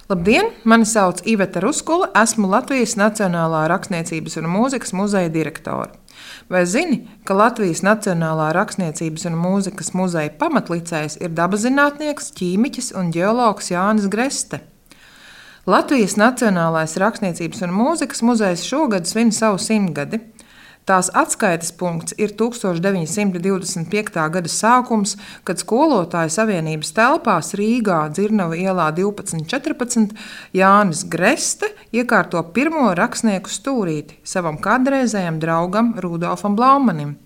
Labdien! Mani sauc Iveta Ruskula, esmu Latvijas Nacionālā rakstniecības un mūzikas muzeja direktore. Vai zini, ka Latvijas Nacionālā rakstniecības un mūzikas muzeja pamatlicējs ir dabaszinātnieks, ķīmiķis un ģeologs Jānis Greste? Latvijas Nacionālais rakstniecības un mūzikas muzejs šogad svin savu 100-gadi. Tās atskaites punkts ir 1925. gada sākums, kad Skolotāju savienības telpās Rīgā, Dzirnava ielā 1214, Jānis Greste iekārto pirmo rakstnieku stūrīti savam kādreizējam draugam Rudolfam Blaumanim.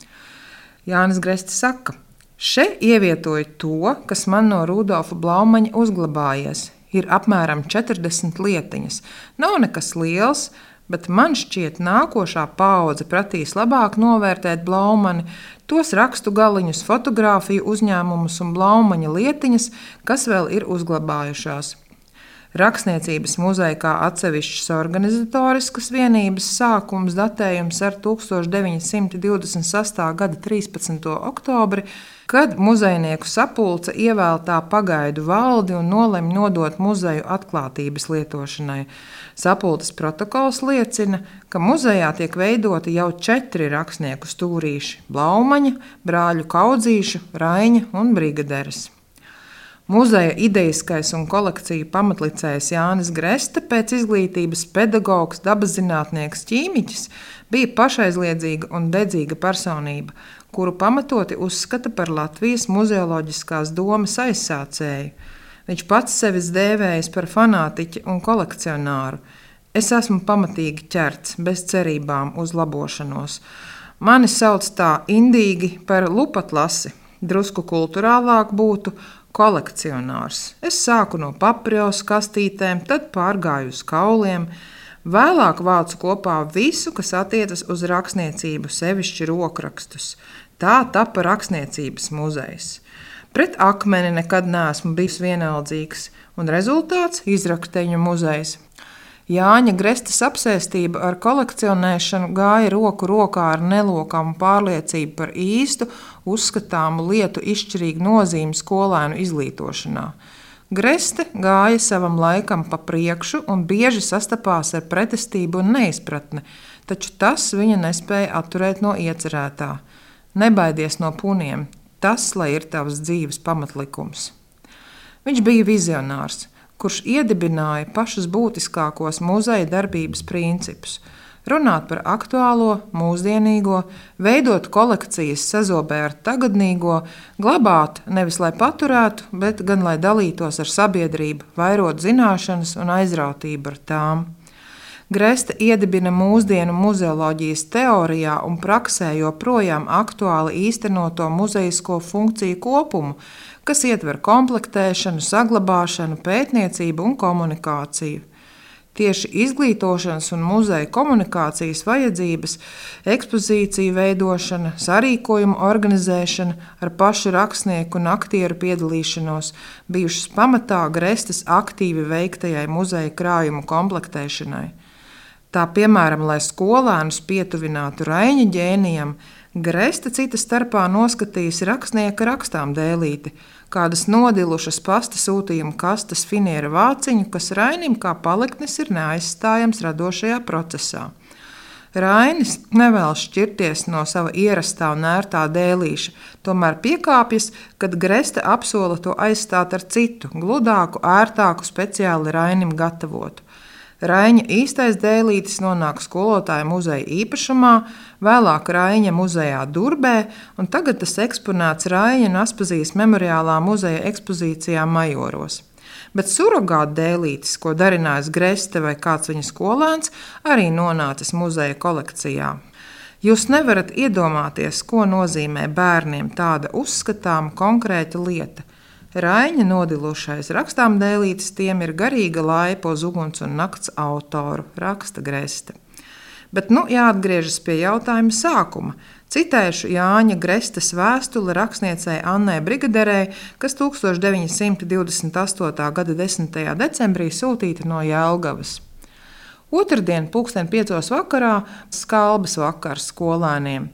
Jānis Greste saka: "Še ievietoju to, kas man no Rudolfa Blaumaņa uzglabājies. Ir apmēram 40 lietiņas. Nav nekas liels, bet man šķiet, nākošā paudze prasīs labāk novērtēt Blaumani, tos rakstu galiņus, fotogrāfiju uzņēmumus un Blaumaņa lietiņas, kas vēl ir uzglabājušās." Rakstniecības muzeja kā atsevišķas organizatoriskas vienības sākums datējums ar 1926. gada 13. oktobri, kad muzejnieku sapulce ievēl tā pagaidu valdi un nolemj nodot muzeju atklātības lietošanai. Sapulces protokols liecina, ka muzejā tiek veidoti jau 4 rakstnieku stūrīši – Blaumaņa, brāļu Kaudzīšu, Raiņa un Brigaderes. Muzeja idejiskais un kolekciju pamatlicējs Jānis Greste, pēc izglītības pedagogs, dabaszinātnieks, ķīmiķis, bija pašaizliedzīga un dedzīga personība, kuru pamatoti uzskata par Latvijas muzeoloģiskās domas aizsācēju. Viņš pats sevis dēvējis par fanātiķi un kolekcionāru. Es esmu pamatīgi ķerts, bez cerībām uz labošanos. Mani sauc tā indīgi par lupatlasi, drusku kulturālāk būtu kolekcionārs. Es sāku no paprios kastītēm, tad pārgāju uz kauliem. Vēlāk vācu kopā visu, kas attiecas uz rakstniecību, sevišķi rokrakstus. Tā tapa rakstniecības muzejs. Pret akmeni nekad neesmu bijis vienaldzīgs, un rezultāts – izrakteņu muzejs. Jāņa Grestes apsēstība ar kolekcionēšanu gāja roku rokā ar nelokāmu pārliecību par īstu, uzskatāmu lietu izšķirīgu nozīmi skolēnu izglītošanā. Greste gāja savam laikam pa priekšu un bieži sastapās ar pretestību un neizpratni, taču tas viņa nespēja atturēt no iecerētā. Nebaidies no puniem, tas, lai ir tavs dzīves pamatlikums. Viņš bija vizionārs, kurš iedibināja pašus būtiskākos muzeja darbības principus – runāt par aktuālo, mūsdienīgo, veidot kolekcijas sazobē ar tagadnīgo, glabāt nevis lai paturētu, bet gan lai dalītos ar sabiedrību, vairot zināšanas un aizrautību ar tām. Greste iedibina mūsdienu muzeoloģijas teorijā un praksē joprojām aktuāli īstenoto muzejisko funkciju kopumu, kas ietver komplektēšanu, saglabāšanu, pētniecību un komunikāciju. Tieši izglītošanas un muzeja komunikācijas vajadzības, ekspozīciju veidošana, sarīkojumu organizēšana ar pašu rakstnieku un aktieru piedalīšanos bijušas pamatā Grestes aktīvi veiktajai muzeja krājumu komplektēšanai. Tā piemēram, lai skolēnus pietuvinātu Raiņa ģēnijam, Greste cita starpā noskatījis rakstnieka rakstām dēlīti, kādas nodilušas pasta sūtījuma kastes finiera vāciņu, kas Rainim kā paliktnis ir neaizstājams radošajā procesā. Rainis nevēlas šķirties no sava ierastā un ērtā dēlīša, tomēr piekāpjas, kad Greste apsola to aizstāt ar citu, gludāku, ērtāku, speciāli Rainim gatavotu. Raiņa īstais dēlītis nonāk Skolotāju muzeja īpašumā, vēlāk Raiņa muzejā Durbē, un tagad tas eksponēts Raiņa un Aspazijas memoriālā muzeja ekspozīcijā Majoros. Bet surogāta dēlītis, ko darinājis Greste vai kāds viņa skolēns, arī nonācis muzeja kolekcijā. Jūs nevarat iedomāties, ko nozīmē bērniem tāda uzskatāma konkrēta lieta. Raiņa nodilušais rakstām dēlītis tiem ir garīga laipa uz uguns un nakts autoru, raksta Greste. Bet jāatgriežas pie jautājuma sākuma. Citēšu Jāņa Grestes vēstuli rakstniecei Annai Brigaderei, kas 1928. gada 10. decembrī sūtīta no Jelgavas. Otrdien, 5:00 vakarā, skalbas vakars skolēniem.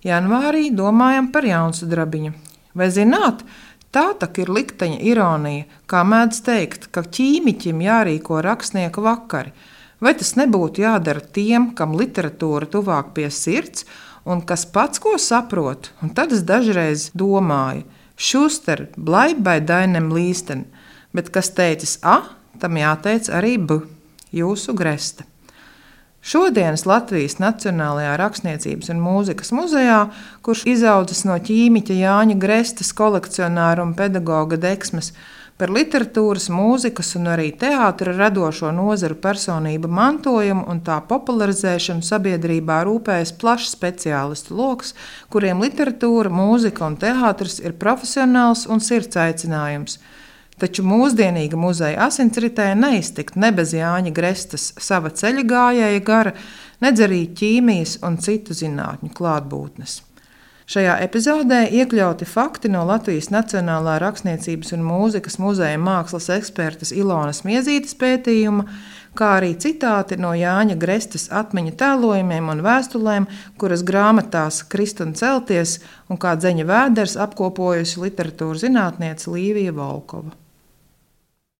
Janvārī domājam par Jaunsudrabiņu. Vai zināt, Tā tak ir likteņa ironija, kā mēdz teikt, ka ķīmiķim jārīko rakstnieka vakari. Vai tas nebūtu jādara tiem, kam literatūra tuvāk pie sirds, un kas pats ko saprot? Un tad es dažreiz domāju, Šuster, bleib bei deinem līsten, bet kas teicis A, tam jāteic arī B, jūsu gresta. Šodienas Latvijas Nacionālajā rakstniecības un mūzikas muzejā, kurš izaudzis no ķīmiķa Jāņa Grestas kolekcionāra un pedagoga deksmes, par literatūras, mūzikas un arī teātra radošo nozaru personību mantojumu un tā popularizēšanu sabiedrībā rūpējas plašs speciālistu loks, kuriem literatūra, mūzika un teātris ir profesionāls un sirds aicinājums. Taču mūsdienīga muzeja asinsritē neiztikt ne bez Jāņa Grestas sava ceļa gājēja gara, nedz arī ķīmijas un citu zinātņu klātbūtnes. Šajā epizodē iekļauti fakti no Latvijas Nacionālā rakstniecības un mūzikas muzeja mākslas ekspertes Ilonas Miezītes pētījuma, kā arī citāti no Jāņa Grestas atmiņu tēlojumiem un vēstulēm, kuras grāmatās Krist un celties un kā dzeņa vēders apkopojusi literatūras zinātniece Līvija Volkova.